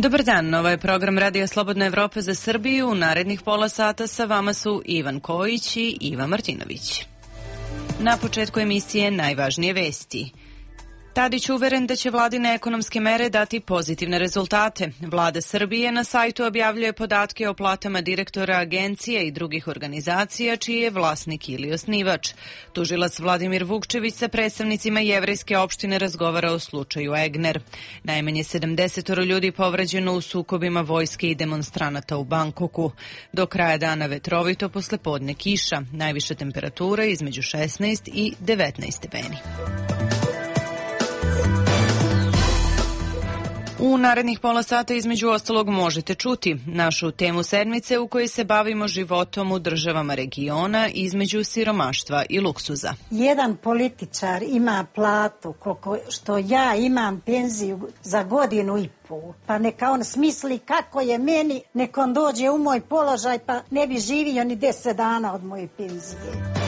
Dobar dan, ovo je program Radija Slobodna Evropa za Srbiju. U narednih pola sata sa vama su Ivan Kojić i Iva Martinović. Na početku emisije najvažnije vesti. Tadić uveren da će vladine ekonomske mere dati pozitivne rezultate. Vlada Srbije na sajtu objavljuje podatke o platama direktora agencija i drugih organizacija čiji je vlasnik ili osnivač. Tužilac Vladimir Vukčević sa predstavnicima jevrejske opštine razgovara o slučaju Egner. Najmanje 70 ljudi povređeno u sukobima vojske i demonstranata u Bankoku. Do kraja dana vetrovito, posle podne kiša. Najviša temperatura između 16 i 19 stepeni. U narednih pola sata između ostalog možete čuti našu temu sedmice u kojoj se bavimo životom u državama regiona između siromaštva i luksuza. Jedan političar ima platu koliko što ja imam penziju za godinu i pol. Pa neka on smisli kako je meni, neka on dođe u moj položaj pa ne bi živio ni 10 dana od moje penzije.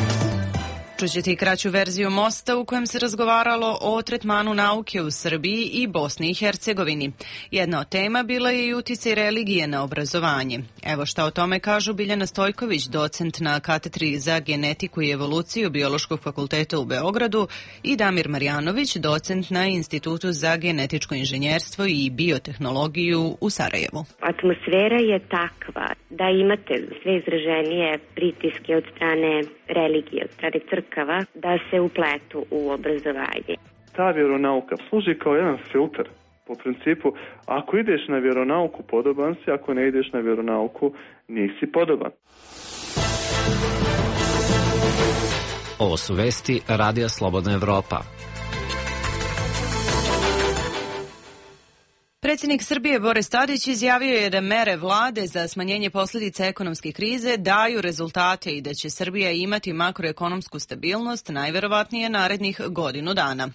Čućete i kraću verziju mosta u kojem se razgovaralo o tretmanu nauke u Srbiji i Bosni i Hercegovini. Jedna od tema bila je i uticaj religije na obrazovanje. Evo šta o tome kažu Biljana Stojković, docent na katedri za genetiku i evoluciju Biološkog fakulteta u Beogradu, i Damir Marjanović, docent na Institutu za genetičko inženjerstvo i biotehnologiju u Sarajevu. Atmosfera je takva da imate sve izraženije pritiske od strane religije, od strane crkava, da se upletu u obrazovanje. Ta vjeronauka služi kao jedan filter. Po principu, ako ideš na vjeronauku, podoban si, ako ne ideš na vjeronauku, nisi podoban. Ovo su vesti Radija Slobodna Evropa. Predsjednik Srbije Boris Tadić izjavio je da mere vlade za smanjenje posljedica ekonomske krize daju rezultate i da će Srbija imati makroekonomsku stabilnost najverovatnije narednih godinu dana.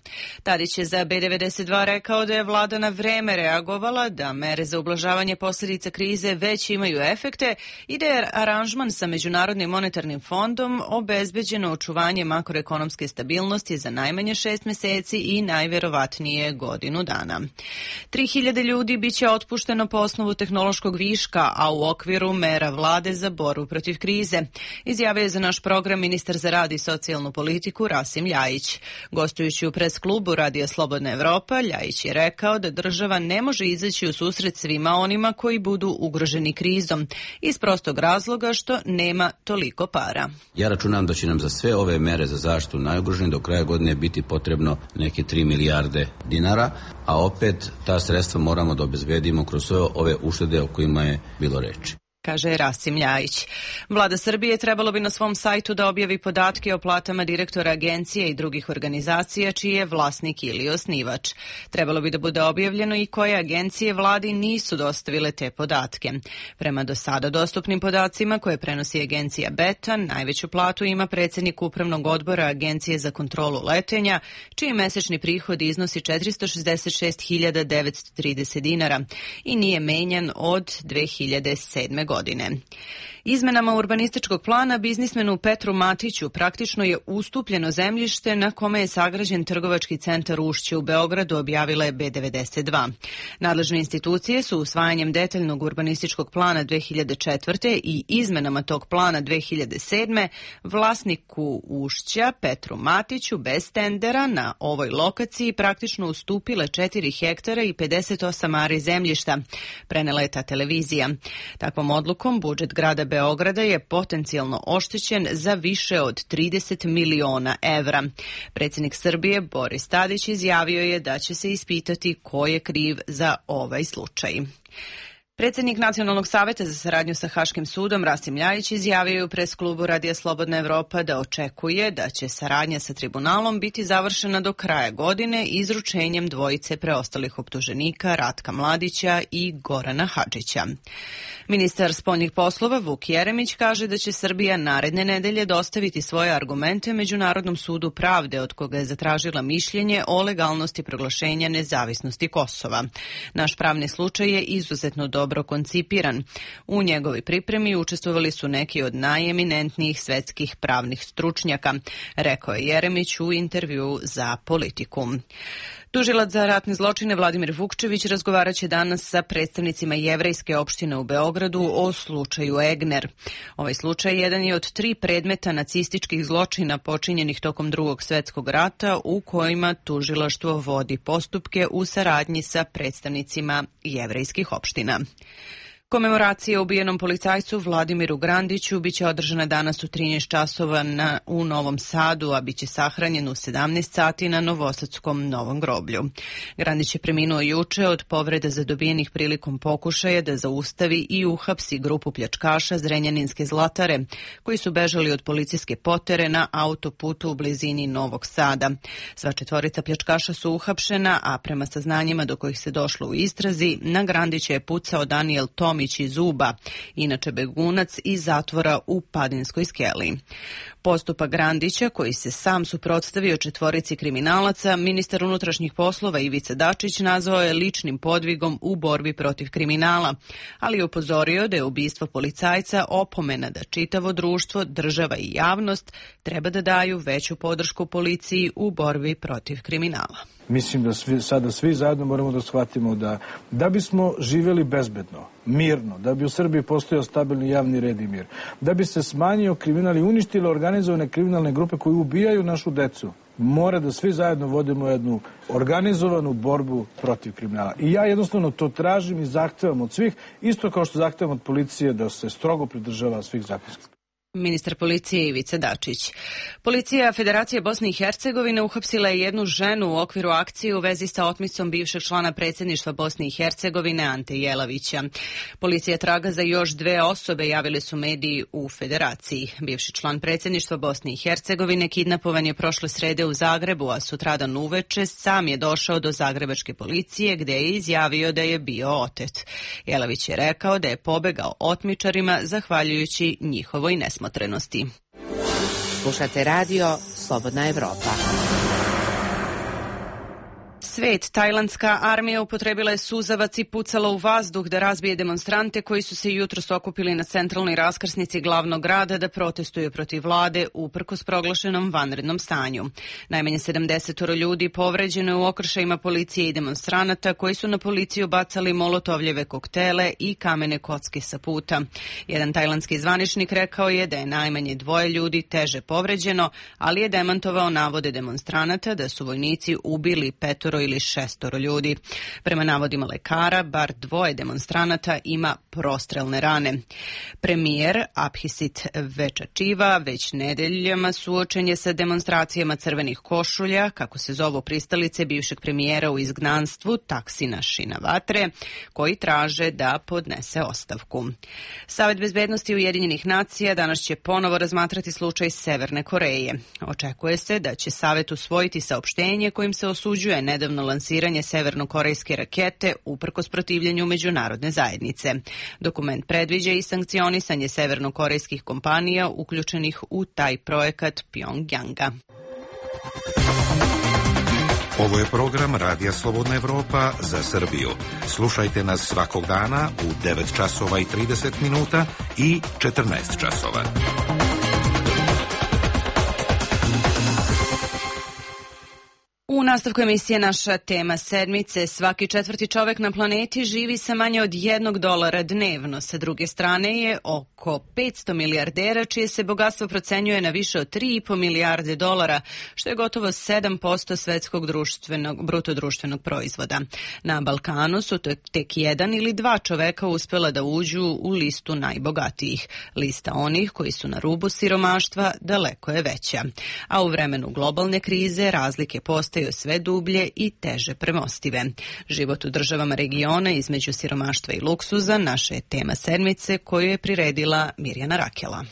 Tadić je za B92 rekao da je vlada na vreme reagovala, da mere za ublažavanje posljedica krize već imaju efekte i da je aranžman sa Međunarodnim monetarnim fondom obezbeđeno očuvanje makroekonomske stabilnosti za najmanje 6 meseci i najverovatnije godinu dana. 3000 ljudi biće otpušteno po osnovu tehnološkog viška, a u okviru mera vlade za borbu protiv krize, izjavio je za naš program ministar za rad i socijalnu politiku Rasim Ljajić. Gostujući u pres klubu Radija Slobodna Evropa, Ljajić je rekao da država ne može izaći u susret svima onima koji budu ugroženi krizom, iz prostog razloga što nema toliko para. Ja računam da će nam za sve ove mere za zaštitu najugroženih do kraja godine biti potrebno neke 3 milijarde dinara, a opet ta sredstva moramo da obezbedimo kroz sve ove uštede o kojima je bilo reči, kaže Rasim Ljajić. Vlada Srbije trebalo bi na svom sajtu da objavi podatke o platama direktora agencije i drugih organizacija čiji je vlasnik ili osnivač. Trebalo bi da bude objavljeno i koje agencije vladi nisu dostavile te podatke. Prema do sada dostupnim podacima koje prenosi agencija Beta, najveću platu ima predsjednik upravnog odbora Agencije za kontrolu letenja, čiji mesečni prihod iznosi 466.930 dinara i nije menjan od 2007. godine. Izmenama urbanističkog plana biznismenu Petru Matiću praktično je ustupljeno zemljište na kome je sagrađen trgovački centar Ušće u Beogradu, objavila je B92. Nadležne institucije su usvajanjem detaljnog urbanističkog plana 2004. i izmenama tog plana 2007. vlasniku Ušća Petru Matiću bez tendera na ovoj lokaciji praktično ustupile 4 hektara i 58 ari zemljišta, prenela je ta televizija. Takvom odlukom budžet grada Beograda je potencijalno oštećen za više od 30 miliona evra. Predsjednik Srbije Boris Tadić izjavio je da će se ispitati ko je kriv za ovaj slučaj. Predsjednik Nacionalnog saveta za saradnju sa Haškim sudom Rasim Ljajić izjavio je u pres klubu Radija Slobodna Evropa da očekuje da će saradnja sa tribunalom biti završena do kraja godine izručenjem dvojice preostalih optuženika Ratka Mladića i Gorana Hadžića. Ministar spoljnih poslova Vuk Jeremić kaže da će Srbija naredne nedelje dostaviti svoje argumente Međunarodnom sudu pravde od koga je zatražila mišljenje o legalnosti proglašenja nezavisnosti Kosova. Naš pravni slučaj je izuzetno dobro koncipiran. U njegovoj pripremi učestvovali su neki od najeminentnijih svetskih pravnih stručnjaka, rekao je Jeremić u intervjuu za Politiku. Tužilac za ratne zločine Vladimir Vukčević razgovaraće danas sa predstavnicima jevrejske opštine u Beogradu o slučaju Egner. Ovaj slučaj jedan je od 3 predmeta nacističkih zločina počinjenih tokom Drugog svjetskog rata u kojima tužilaštvo vodi postupke u saradnji sa predstavnicima jevrejskih opština. Komemoracija ubijenom policajcu Vladimiru Grandiću biće održana danas u 13 časova u Novom Sadu, a biće sahranjen u 17 sati na Novosadskom Novom groblju. Grandić je preminuo juče od povreda zadobijenih prilikom pokušaja da zaustavi i uhapsi grupu pljačkaša Zrenjaninske Zlatare, koji su bežali od policijske potere na autoputu u blizini Novog Sada. Sva 4 pljačkaša su uhapšena, a prema saznanjima do kojih se došlo u istrazi, na Grandića je pucao Daniel Tomić iz Uba, inače begunac iz zatvora u Padinskoj skeli. Postupak Grandića, koji se sam suprotstavio 4 kriminalaca, ministar unutrašnjih poslova Ivica Dačić nazvao je ličnim podvigom u borbi protiv kriminala, ali je upozorio da je ubistvo policajca opomena da čitavo društvo, država i javnost treba da daju veću podršku policiji u borbi protiv kriminala. Mislim da sada svi zajedno moramo da shvatimo da bismo živjeli bezbedno, mirno, da bi u Srbiji postojao stabilni javni red i mir, da bi se smanjio kriminal i uništile organizovane kriminalne grupe koji ubijaju našu decu, mora da svi zajedno vodimo jednu organizovanu borbu protiv kriminala. I ja jednostavno to tražim i zahtevam od svih, isto kao što zahtevam od policije da se strogo pridržava svih zakonskih. Ministar policije Ivica Dačić. Policija Federacije Bosne i Hercegovine uhapsila je jednu ženu u okviru akcije u vezi sa otmicom bivšeg člana predsjedništva Bosne i Hercegovine Ante Jelavića. Policija traga za još 2 osobe, javili su mediji u Federaciji. Bivši član predsjedništva Bosne i Hercegovine kidnapovan je prošle srede u Zagrebu, a sutradan uveče sam je došao do zagrebačke policije gde je izjavio da je bio otet. Jelavić je rekao da je pobegao otmičarima zahvaljujući njihovoj nesmotrenosti. Slušate radio Slobodna Evropa. Svet, tajlandska armija upotrebila je suzavac i pucala u vazduh da razbije demonstrante koji su se jutros okupili na centralnoj raskrsnici glavnog grada da protestuju protiv vlade uprkos proglašenom vanrednom stanju. Najmanje 70 ljudi povređeno je u okršajima policije i demonstranata koji su na policiju bacali molotovljeve koktele i kamene kocke sa puta. Jedan tajlandski zvaničnik rekao je da je najmanje 2 ljudi teže povređeno, ali je demantovao navode demonstranata da su vojnici ubili 5 ili 6 ljudi. Prema navodima lekara, bar 2 demonstranata ima prostrelne rane. Premijer Abhisit Večačiva već nedeljama suočen je sa demonstracijama crvenih košulja, kako se zovu pristalice bivšeg premijera u izgnanstvu Taksina Shinawatre, koji traže da podnese ostavku. Savet bezbednosti Ujedinjenih nacija danas će ponovo razmatrati slučaj Severne Koreje. Očekuje se da će Savet usvojiti saopštenje kojim se osuđuje nedavno lansiranje severnokorejske rakete uprkos protivljenju međunarodne zajednice. Dokument predviđa i sankcionisanje severnokorejskih kompanija uključenih u taj projekat Pjongjanga. Ovo je program Radija Slobodna Evropa za Srbiju. Slušajte nas svakog dana u 9 časova i 30 minuta i 14 časova. U nastavku emisije naša tema sedmice. Svaki 4. čovek na planeti živi sa manje od $1 dnevno. Sa druge strane je oko 500 milijardera čije se bogatstvo procenjuje na više od $3,5 milijarde, što je gotovo 7% svetskog brutodruštvenog proizvoda. Na Balkanu su tek 1 ili 2 čoveka uspela da uđu u listu najbogatijih. Lista onih koji su na rubu siromaštva daleko je veća. A u vremenu globalne krize razlike postoje postaju sve dublje i teže premostive. Život u državama regiona između siromaštva i luksuza naša je tema sedmice koju je priredila Mirjana Rakela.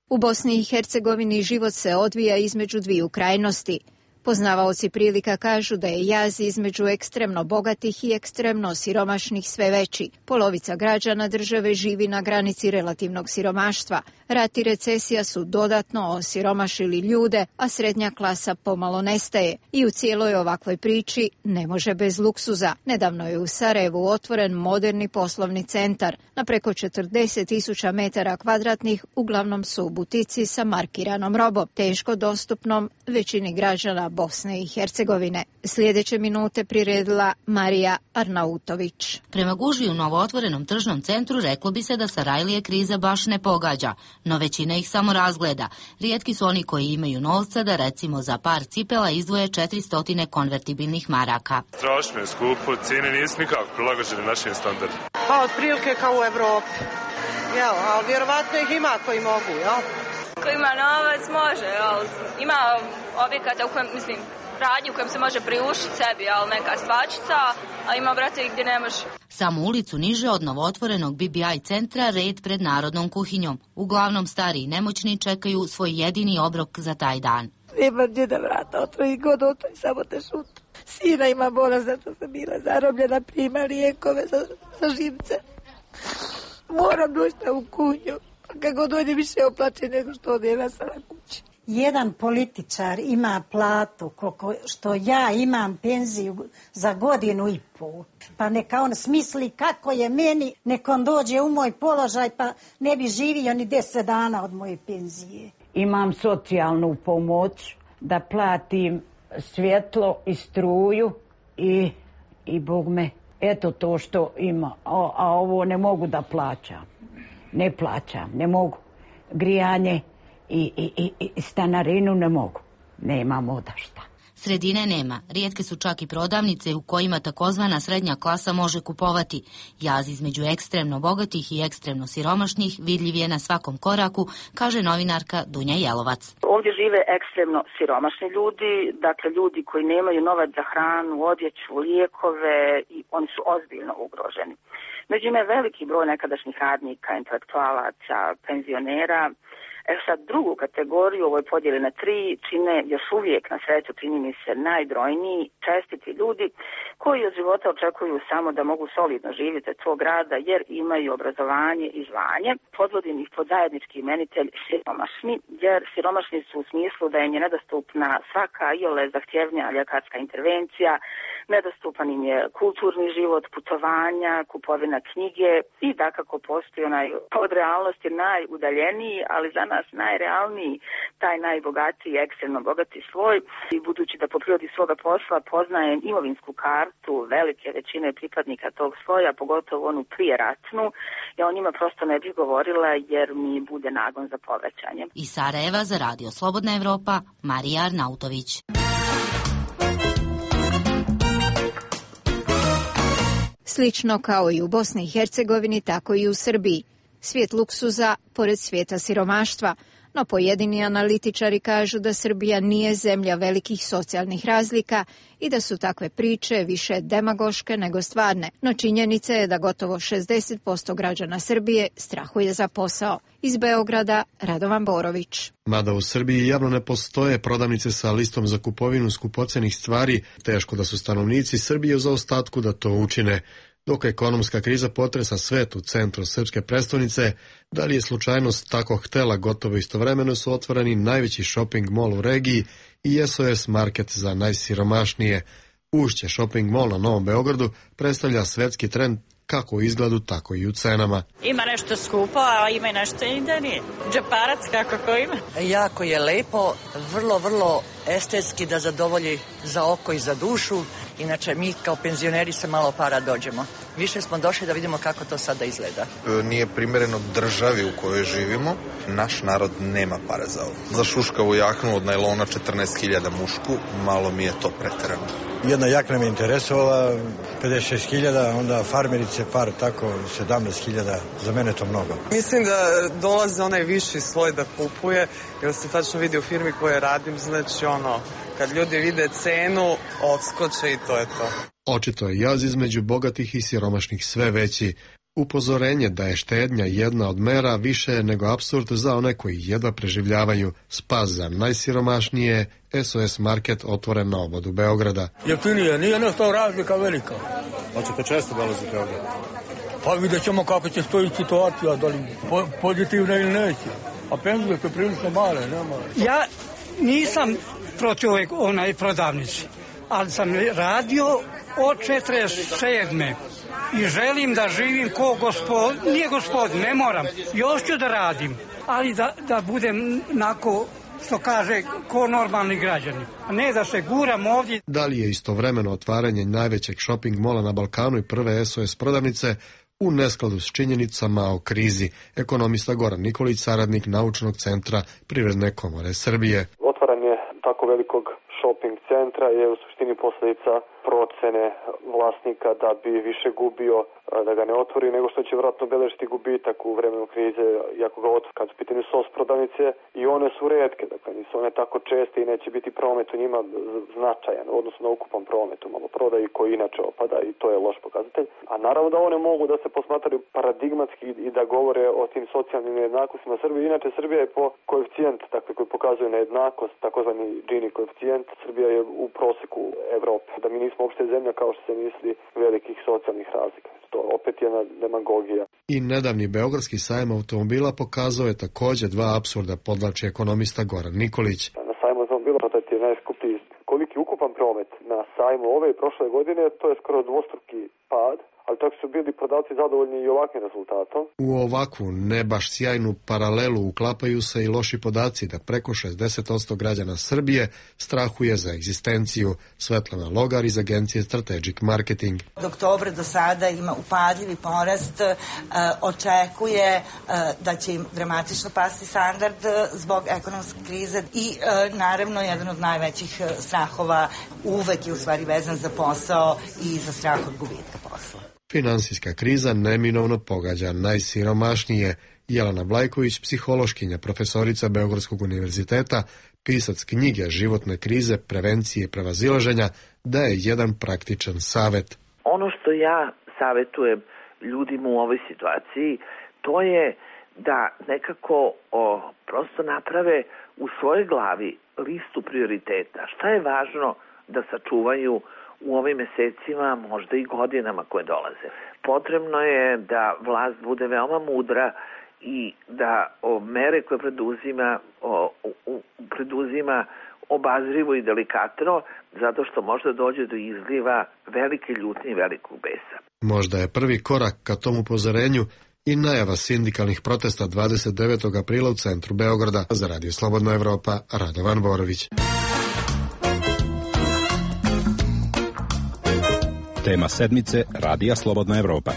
U Bosni i Hercegovini život se odvija između dviju krajnosti. Poznavaoci prilika kažu da je jaz između ekstremno bogatih i ekstremno siromašnih sve veći. Polovica građana države živi na granici relativnog siromaštva. Rat i recesija su dodatno osiromašili ljude, a srednja klasa pomalo nestaje. I u cijeloj ovakvoj priči ne može bez luksuza. Nedavno je u Sarajevu otvoren moderni poslovni centar. Na preko 40.000 metara kvadratnih uglavnom su butici sa markiranom robom, teško dostupnom većini građana Bosne i Hercegovine. Sljedeće minute priredila Marija Arnautović. Prema gužvi u novootvorenom tržnom centru reklo bi se da Sarajlije kriza baš ne pogađa, no većina ih samo razgleda. Rijetki su oni koji imaju novca da recimo za par cipela izdvoje 400 konvertibilnih maraka. Strašno je skupo, cijene nisu nikako prilagođene našim standardima. Pa otprilike kao u Evropi, ali vjerovatno ih ima koji mogu, jel? Ko ima novac može, ali ima objekata u kojem, radnju u kojem se može priuštiti sebi, ali neka svačica, a ima, brate, gdje ne može. Samo ulicu niže od novootvorenog BBI centra red pred Narodnom kuhinjom. Uglavnom stari i nemoćni čekaju svoj jedini obrok za taj dan. Nema gdje da vrata, otvori god otvori, samo te šuta. Sina ima bola zato sam bila zarobljena, prima lijekove za živce. Moram doći u kuhinju. Kako dođe više oplače nego što odjeva sam na kući. Jedan političar ima platu što ja imam penziju za godinu i pol. Pa neka on smisli kako je meni, neka on dođe u moj položaj pa ne bi živio ni 10 dana od moje penzije. Imam socijalnu pomoć da platim svjetlo i struju i Bog me, eto to što ima, a ovo ne mogu da plaćam. Ne plaćam, ne mogu. Grijanje i stanarinu ne mogu. Nemam odašta. Sredine nema. Rijetke su čak i prodavnice u kojima takozvana srednja klasa može kupovati. Jaz između ekstremno bogatih i ekstremno siromašnih vidljiv je na svakom koraku, kaže novinarka Dunja Jelovac. Ovdje žive ekstremno siromašni ljudi, dakle ljudi koji nemaju novac za hranu, odjeću, lijekove i oni su ozbiljno ugroženi. Među njima je veliki broj nekadašnjih radnika, intelektualaca, penzionera. Sad drugu kategoriju u ovoj podjeli na 3 čine još uvijek na sreću, čini mi se, najbrojniji, čestiti ljudi koji od života očekuju samo da mogu solidno živjeti od svog rada jer imaju obrazovanje i zvanje. Podvodim ih pod zajednički imenitelj siromašni, jer siromašni su u smislu da im je nedostupna svaka iole zahtjevnija ljekarska intervencija, nedostupan im je kulturni život, putovanja, kupovina knjige i dakako postoji onaj od realnosti najudaljeniji, ali za nas najrealniji, taj najbogatiji, ekstremno bogati sloj. I budući da po prirodi svoga posla poznajem imovinsku kartu velike većine pripadnika tog sloja, pogotovo onu prijeratnu, ja o njima prosto ne bih govorila jer mi bude nagon za povraćanjem. Iz Sarajeva za Radio Slobodna Evropa, Marija Arnautović. Slično kao i u Bosni i Hercegovini, tako i u Srbiji. Svijet luksuza pored svijeta siromaštva, no pojedini analitičari kažu da Srbija nije zemlja velikih socijalnih razlika i da su takve priče više demagoške nego stvarne. No činjenica je da gotovo 60% građana Srbije strahuje za posao. Iz Beograda, Radovan Borović. Mada u Srbiji javno ne postoje prodavnice sa listom za kupovinu skupocenih stvari, teško da su stanovnici Srbije u zaostatku da to učine. Dok ekonomska kriza potresa svet u centru srpske prestonice, da li je slučajnost tako htela, gotovo istovremeno su otvoreni najveći shopping mall u regiji i SOS market za najsiromašnije. Ušće shopping mall na Novom Beogradu predstavlja svetski trend kako u izgledu, tako i u cenama. Ima nešto skupo, a ima i nešto i da nije. Džeparac kako ko ima. Jako je lepo, vrlo estetski da zadovolji za oko i za dušu. Inače, mi kao penzioneri se malo para dođemo. Više smo došli da vidimo kako to sada izgleda. Nije primjereno državi u kojoj živimo. Naš narod nema pare za ovo. Za šuškavu jaknu od najlona 14.000 mušku, malo mi je to preterano. Jedna jakna me interesovala, 56.000, onda farmerice par tako 17.000, za mene to mnogo. Mislim da dolaze onaj viši sloj da kupuje, jer se tačno vidi u firmi koje radim, znači Kad ljudi vide cenu, odskoče i to je to. Očito je jaz između bogatih i siromašnih sve veći. Upozorenje da je štednja jedna od mera više je nego apsurd za one koji jedva preživljavaju. Spas za najsiromašnije, SOS Market otvoren na obodu Beograda. Jeftinije, nije nešto razlika velika. Hoćete često dolaziti u Beograd? Pa vidjet ćemo kako će stoji situacija, da li pozitivna ili neće. A penzije su prilično male, nema. Ja nisam protiv onaj prodavnici, ali sam radio od 47. I želim da živim ko gospodin, nije gospodin, ne moram, još ću da radim, ali da budem onako, što kaže, ko normalni građani, a ne da se guram ovdje. Da li je istovremeno otvaranje najvećeg shopping mola na Balkanu i prve SOS prodavnice u neskladu s činjenicama o krizi? Ekonomista Goran Nikolić, saradnik Naučnog centra Privredne komore Srbije. Otvaranje tako velikog shopping centra je u suštini posljedica procene vlasnika da bi više gubio da ga ne otvori nego što će vjerojatno beležiti gubitak u vremenu krize iako ga otvori. Kad su pitanje SOS prodavnice i one su retke, dakle nisu one tako česte i neće biti promet u njima značajan u odnosu na ukupan promet u maloprodaji koji inače opada i to je loš pokazatelj. A naravno da one mogu da se posmatraju paradigmatski i da govore o tim socijalnim nejednakostima Srbije. Inače Srbija je po koeficijent, dakle koji pokazuje nejednakost, takozvani Gini koeficijent, Srbija je u proseku Evrope. Da mi nismo uopšte zemlja kao što se misli velikih socijalnih razlika. To opet jedna demagogija. I nedavni Beogradski sajam automobila pokazao je također dva apsurda, podvlači ekonomista Goran Nikolić. Na sajmu automobila to je najskuplji. Koliki ukupan promet na sajmu ove i prošle godine, to je skoro dvostruki pad, ali tako su bili prodavci zadovoljni i ovakvim rezultatom. U ovakvu ne baš sjajnu paralelu uklapaju se i loši podaci da preko 60% građana Srbije strahuje za egzistenciju. Svetlana Logar iz agencije Strategic Marketing. Od oktobra do sada ima upadljivi porast, očekuje da će im dramatično pasti standard zbog ekonomske krize i naravno jedan od najvećih strahova uvek je u stvari vezan za posao i za strah od gubitka posla. Finansijska kriza neminovno pogađa najsiromašnije. Jelena Blajković, psihološkinja, profesorica Beogradskog univerziteta, pisac knjige Životne krize, prevencije i prevazilaženja, daje jedan praktičan savet. Ono što ja savetujem ljudima u ovoj situaciji, to je da nekako prosto naprave u svojoj glavi listu prioriteta. Šta je važno da sačuvaju u ovim mesecima, možda i godinama koje dolaze. Potrebno je da vlast bude veoma mudra i da mere koje preduzima obazrivo i delikatno, zato što možda dođe do izliva velike ljutnje i velikog besa. Možda je prvi korak ka tom upozorenju i najava sindikalnih protesta 29. aprila u centru Beograda. Za Radio Slobodna Evropa, Radovan Borović. Tema sedmice Radija Slobodna Evropa.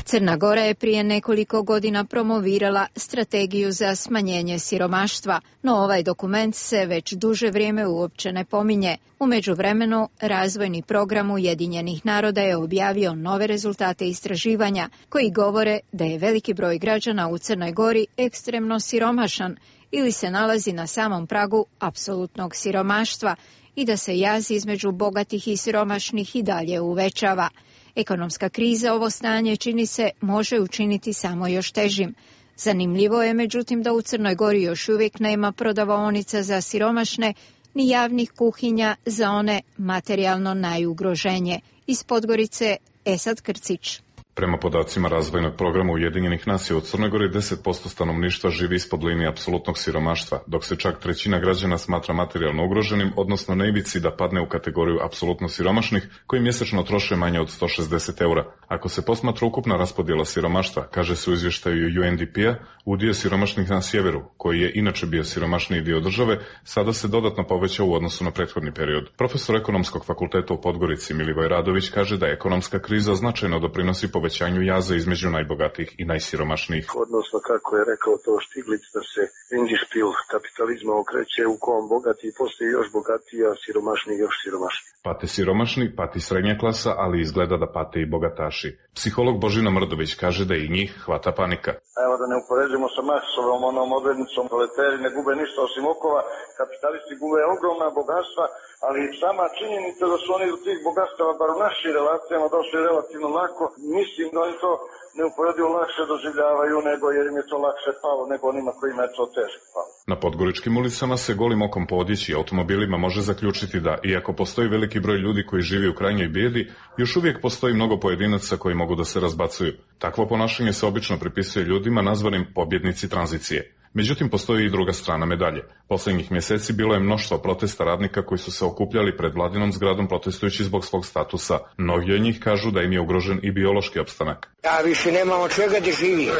Crna Gora je prije nekoliko godina promovirala strategiju za smanjenje siromaštva, no ovaj dokument se već duže vrijeme uopće ne pominje. U međuvremenu, razvojni program Ujedinjenih naroda je objavio nove rezultate istraživanja koji govore da je veliki broj građana u Crnoj Gori ekstremno siromašan ili se nalazi na samom pragu apsolutnog siromaštva i da se jaz između bogatih i siromašnih i dalje uvećava. Ekonomska kriza ovo stanje, čini se, može učiniti samo još težim. Zanimljivo je, međutim, da u Crnoj Gori još uvijek nema prodavaonica za siromašne, ni javnih kuhinja za one materijalno najugroženije. Iz Podgorice, Esad Krcić. Prema podacima razvojnog programa Ujedinjenih nacija u Crnoj Gori 10% stanovništva živi ispod linije apsolutnog siromaštva, dok se čak trećina građana smatra materijalno ugroženim, odnosno na ivici da padne u kategoriju apsolutno siromašnih, koji mjesečno troše manje od 160 eura. Ako se posmatra ukupna raspodjela siromaštva, kaže se u izvještaju UNDP-a, udio siromašnih na sjeveru, koji je inače bio siromašniji dio države, sada se dodatno povećao u odnosu na prethodni period. Profesor ekonomskog fakulteta u Podgorici Milivoj Radović kaže da ekonomska kriza značajno doprinosi povećanju povećanju jaza između najbogatijih i najsiromašnijih. Odnosno, kako je rekao to Štiglic, da se Endspiel kapitalizma okreće u kom bogatiji postoji još bogatiji, a siromašni još siromašni. Pate siromašni, pati srednja klasa, ali izgleda da pate i bogataši. Psiholog Božina Mrdović kaže da i njih hvata panika. Evo da ne upoređujemo sa Marksovom onom odrednicom, proletari ne gube ništa osim okova, kapitalisti gube ogromna bogatstva, ali sama činjenica da su oni do tih bogatstava, bar u našim relacijama, došli relativno lako, mislim da oni to neuporedivo lakše doživljavaju nego jer im je to lakše palo nego onima kojima je to teško palo. Na podgoričkim ulicama se golim okom po odjeći i automobilima može zaključiti da, iako postoji veliki broj ljudi koji živi u krajnjoj bijedi, još uvijek postoji mnogo pojedinaca koji mogu da se razbacuju. Takvo ponašanje se obično pripisuje ljudima nazvanim pobjednici tranzicije. Međutim, postoji i druga strana medalje. Poslednjih mjeseci bilo je mnoštvo protesta radnika koji su se okupljali pred vladinom zgradom protestujući zbog svog statusa. Mnogi od njih kažu da im je ugrožen i biološki opstanak. Ja više nemam od čega da živim.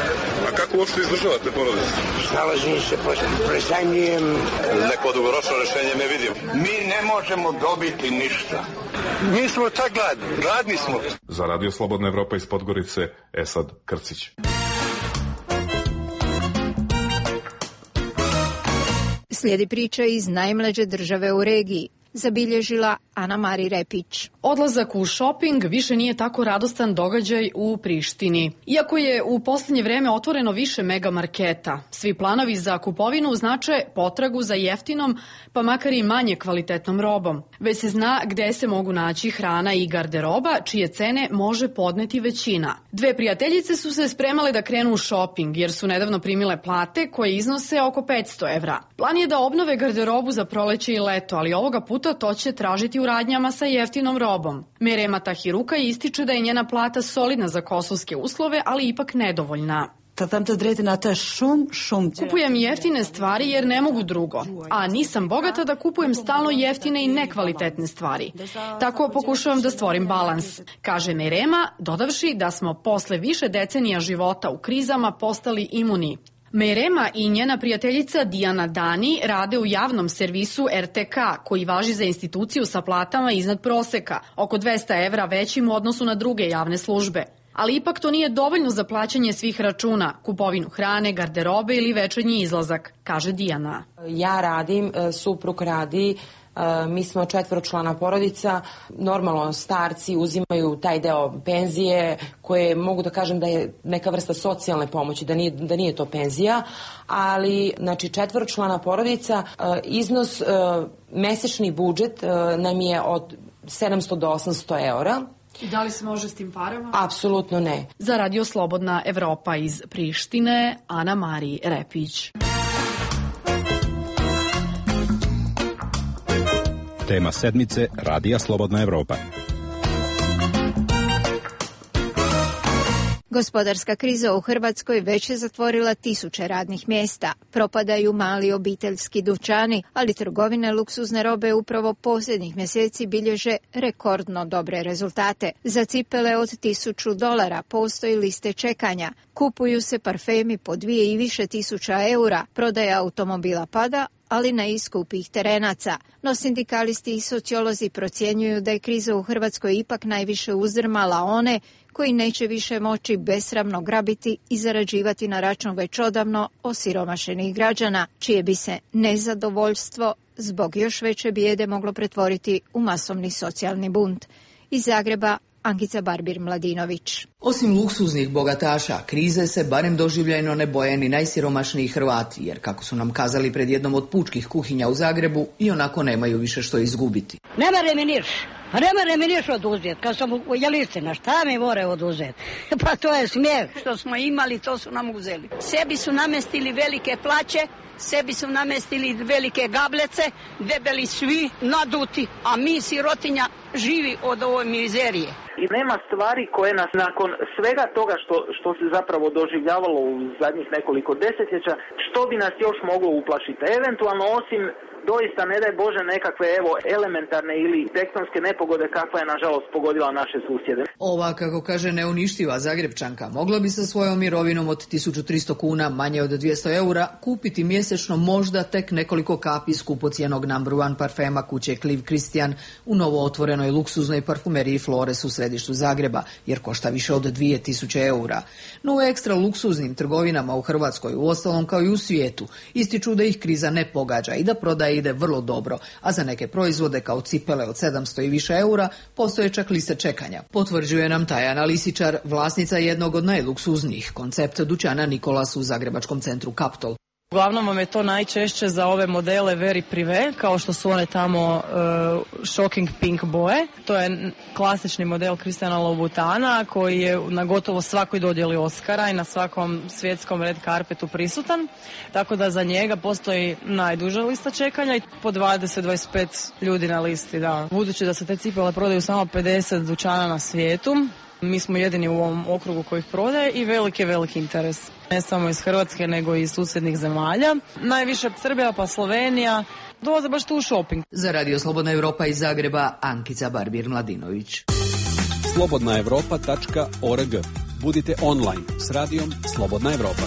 A kako uopšte izdržavate porodicu? Snalazim se, prezajmljujem. Neko dugoročno rešenje ne vidim. Mi ne možemo dobiti ništa. Mi smo tak gladni smo. Za Radio Slobodna Evropa iz Podgorice, Esad Krcić. Slijedi priča iz najmlađe države u regiji, zabilježila Ana Mari Repić. Odlazak u šoping više nije tako radostan događaj u Prištini. Iako je u posljednje vreme otvoreno više megamarketa, svi planovi za kupovinu znače potragu za jeftinom, pa makar i manje kvalitetnom robom. Već se zna gde se mogu naći hrana i garderoba, čije cene može podneti većina. Dve prijateljice su se spremale da krenu u šoping, jer su nedavno primile plate koje iznose oko 500 evra. Plan je da obnove garderobu za proleće i leto, ali ovoga puta to će tražiti u radnjama sa jeftinom robom. Merema Tahiruka ističe da je njena plata solidna za kosovske uslove, ali ipak nedovoljna. Kupujem jeftine stvari jer ne mogu drugo, a nisam bogata da kupujem stalno jeftine i nekvalitetne stvari. Tako pokušavam da stvorim balans, kaže Merema, dodavši da smo posle više decenija života u krizama postali imuni. Merema i njena prijateljica Dijana Dani rade u javnom servisu RTK, koji važi za instituciju sa platama iznad proseka, oko 200 evra većim u odnosu na druge javne službe. Ali ipak to nije dovoljno za plaćanje svih računa, kupovinu hrane, garderobe ili večernji izlazak, kaže Dijana. Ja radim, suprug radi, mi smo 4-člana porodica, normalno starci uzimaju taj deo penzije koje mogu da kažem da je neka vrsta socijalne pomoći, da nije to penzija, ali znači 4-člana porodica, iznos, mesečni budžet nam je od 700 do 800 eura. I da li se može s tim parama? Apsolutno ne. Za Radio Slobodna Evropa iz Prištine, Ana Mari Repić. Tema sedmice Radija Slobodna Evropa. Gospodarska kriza u Hrvatskoj već je zatvorila tisuće radnih mjesta. Propadaju mali obiteljski dućani, ali trgovine luksuzne robe upravo posljednjih mjeseci bilježe rekordno dobre rezultate. Za cipele od $1000 postoji liste čekanja. Kupuju se parfemi po 2 i više tisuća eura. Prodaja automobila pada, ali na iskupih terenaca. No sindikalisti i sociolozi procjenjuju da je kriza u Hrvatskoj ipak najviše uzdrmala one koji neće više moći besramno grabiti i zarađivati na račun već odavno osiromašenih građana, čije bi se nezadovoljstvo zbog još veće bijede moglo pretvoriti u masovni socijalni bunt. Iz Zagreba, Ankica Barbir-Mladinović. Osim luksuznih bogataša, krize se barem doživljajno ne boje ni najsiromašniji Hrvati, jer kako su nam kazali pred jednom od pučkih kuhinja u Zagrebu, i onako nemaju više što izgubiti. Ne mere mi niš oduzeti, kad sam u Jelistina, šta mi more oduzeti? Pa to je smijeh. Što smo imali, to su nam uzeli. Sebi su namestili velike plaće, sebi su namestili velike gablece, debeli svi, naduti, a mi sirotinja živi od ove mizerije. I nema stvari koje nas nakon svega toga što se zapravo doživljavalo u zadnjih nekoliko desetljeća, što bi nas još moglo uplašiti. Eventualno osim doista ne daj Bože nekakve elementarne ili tektonske nepogode kakva je nažalost pogodila naše susjede. Ova, kako kaže neuništiva Zagrebčanka, mogla bi sa svojom mirovinom od 1300 kuna, manje od 200 eura, kupiti mjesečno možda tek nekoliko kapi skupocijenog number one parfema kuće Clive Christian u novo otvorenoj luksuznoj parfumeriji Flores u središtu Zagreba, jer košta više od 2000 eura. No u ekstra luksuznim trgovinama u Hrvatskoj, uostalom kao i u svijetu, ističu da ih kriza ne pogađa i da prodaja ide vrlo dobro, a za neke proizvode kao cipele od 700 i više eura postoje čak liste čekanja. Potvrđuje nam Tajana Lisičar, vlasnica jednog od najluksuznijih koncepta dućana Nikolas u zagrebačkom centru Kaptol. Uglavnom vam je to najčešće za ove modele very privé, kao što su one tamo shocking pink boje. To je klasični model Christiana Louboutana koji je na gotovo svakoj dodjeli Oscara i na svakom svjetskom red carpetu prisutan. Tako da za njega postoji najduža lista čekanja i po 20-25 ljudi na listi. Da. Budući da se te cipele prodaju samo 50 dućana na svijetu, mi smo jedini u ovom okrugu koji ih prodaje i veliki interes. Ne samo iz Hrvatske, nego i iz susjednih zemalja. Najviše Srbija pa Slovenija. Dolaze baš tu u shopping. Za Radio Slobodna Evropa iz Zagreba, Ankica Barbir-Mladinović. slobodnaevropa.org. Budite online s radijom Slobodna Evropa.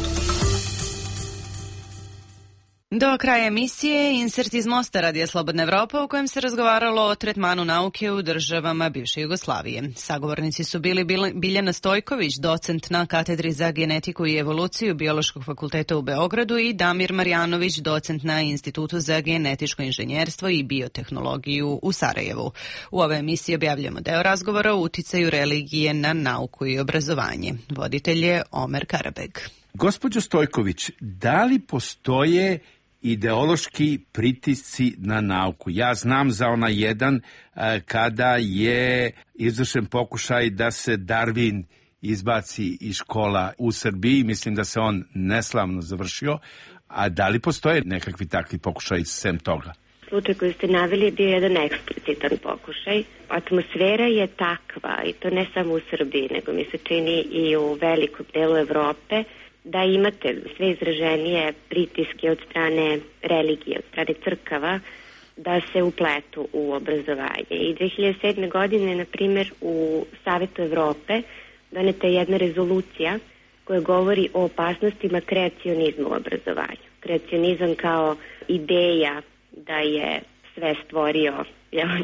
Do kraja emisije insert iz Mosta Radija Slobodna Evropa u kojem se razgovaralo o tretmanu nauke u državama bivše Jugoslavije. Sagovornici su bili Biljana Stojković, docent na katedri za genetiku i evoluciju Biološkog fakulteta u Beogradu i Damir Marjanović, docent na Institutu za genetičko inženjerstvo i biotehnologiju u Sarajevu. U ovoj emisiji objavljamo deo razgovora o uticaju religije na nauku i obrazovanje. Voditelj je Omer Karabeg. Gospođo Stojković, da li postoje ideološki pritisci na nauku? Ja znam za onaj jedan kada je izvršen pokušaj da se Darwin izbaci iz škola u Srbiji. Mislim da se on neslavno završio. A da li postoje nekakvi takvi pokušaj sem toga? Slučaj koji ste naveli je bio jedan eksplicitan pokušaj. Atmosfera je takva, i to ne samo u Srbiji, nego mi se čini i u velikom delu Evrope, da imate sve izraženije pritiske od strane religije, od strane crkava, da se upletu u obrazovanje. I 2007. godine, na primjer, u Savetu Evrope doneta je jedna rezolucija koja govori o opasnostima kreacionizma u obrazovanju. Kreacionizam kao ideja da je sve stvorio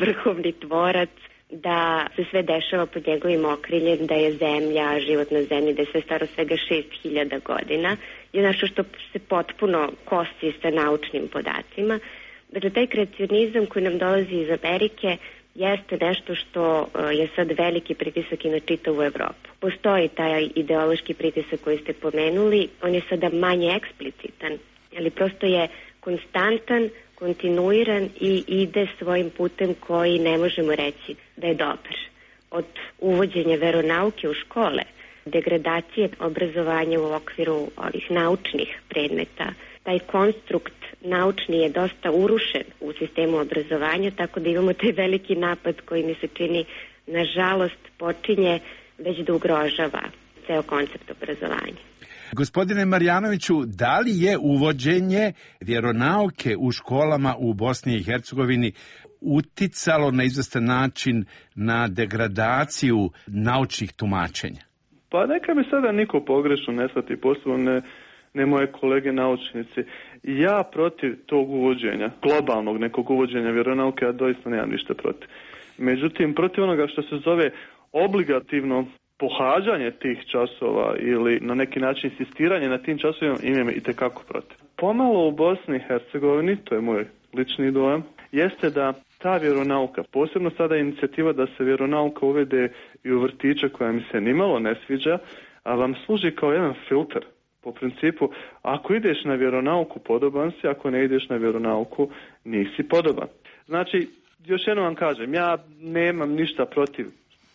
vrhovni tvorac, da se sve dešava pod njegovim okriljem, da je zemlja, život na zemlji, da je sve staro svega 6000 godina, je nešto što se potpuno kosi sa naučnim podacima. Dakle, taj kreacionizam koji nam dolazi iz Amerike jeste nešto što je sad veliki pritisak i na čitavu Evropu. Postoji taj ideološki pritisak koji ste pomenuli, on je sada manje eksplicitan, ali prosto je konstantan, kontinuiran i ide svojim putem koji ne možemo reći da je dobar. Od uvođenja veronauke u škole, degradacije obrazovanja u okviru ovih naučnih predmeta, taj konstrukt naučni je dosta urušen u sistemu obrazovanja, tako da imamo taj veliki napad koji mi se čini, nažalost, počinje već da ugrožava ceo koncept obrazovanja. Gospodine Marjanoviću, da li je uvođenje vjeronauke u školama u Bosni i Hercegovini uticalo na izvestan način na degradaciju naučnih tumačenja? Pa neka mi sada niko pogrešno ne shvati, posebno ne moje kolege naučnici. Ja protiv tog uvođenja, globalnog nekog uvođenja vjeronauke, ja doista nemam ništa protiv. Međutim, protiv onoga što se zove obligativno pohađanje tih časova ili na neki način insistiranje na tim časovima imam itekako protiv. Pomalo u Bosni i Hercegovini, to je moj lični dojam, jeste da ta vjeronauka, posebno sada inicijativa da se vjeronauka uvede i u vrtiće koja mi se nimalo ne sviđa, a vam služi kao jedan filter. Po principu, ako ideš na vjeronauku, podoban si, ako ne ideš na vjeronauku, nisi podoban. Znači, još jednom vam kažem, ja nemam ništa protiv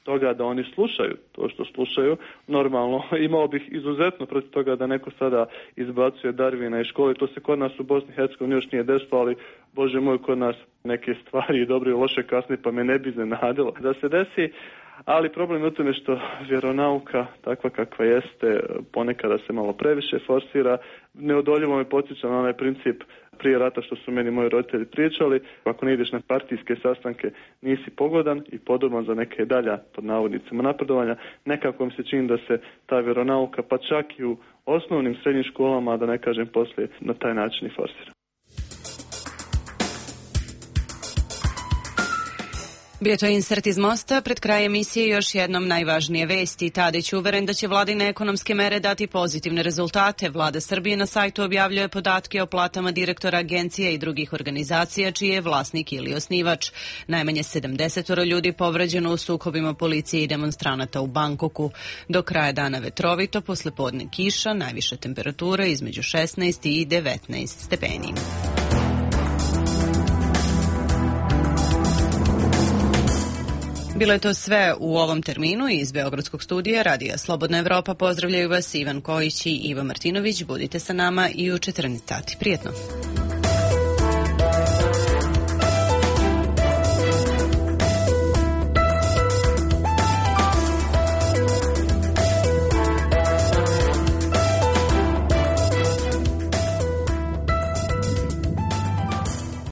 toga da oni slušaju to što slušaju. Normalno, imao bih izuzetno protiv toga da neko sada izbacuje Darwina iz škole. To se kod nas u Bosni i Hercegovini još nije desilo, ali Bože moj, kod nas neke stvari dobre i loše kasnije, pa me ne bi iznenadilo da se desi. Ali problem je u tome što vjeronauka, takva kakva jeste, ponekada se malo previše forsira. Neodoljivo me podsjeća na onaj princip prije rata što su meni moji roditelji pričali, ako ne ideš na partijske sastanke nisi pogodan i podoban za neke dalja, pod navodnicima, napredovanja. Nekako mi se čini da se ta vjeronauka, pa čak i u osnovnim srednjim školama, da ne kažem poslije, na taj način i forsira. Bio to insert iz Mosta. Pred kraj emisije još jednom najvažnije vesti. Tadić uveren da će vladine ekonomske mere dati pozitivne rezultate. Vlada Srbije na sajtu objavljuje podatke o platama direktora agencija i drugih organizacija čiji je vlasnik ili osnivač. Najmanje 70 ljudi povređeno u sukobima policije i demonstranata u Bangkoku. Do kraja dana vetrovito, poslepodne kiša, najviša temperatura između 16 i 19 stepeni. Bilo je to sve u ovom terminu iz Beogradskog studija Radija Slobodna Evropa. Pozdravljaju vas Ivan Kojić i Iva Martinović. Budite sa nama i u 14 sati. Prijetno.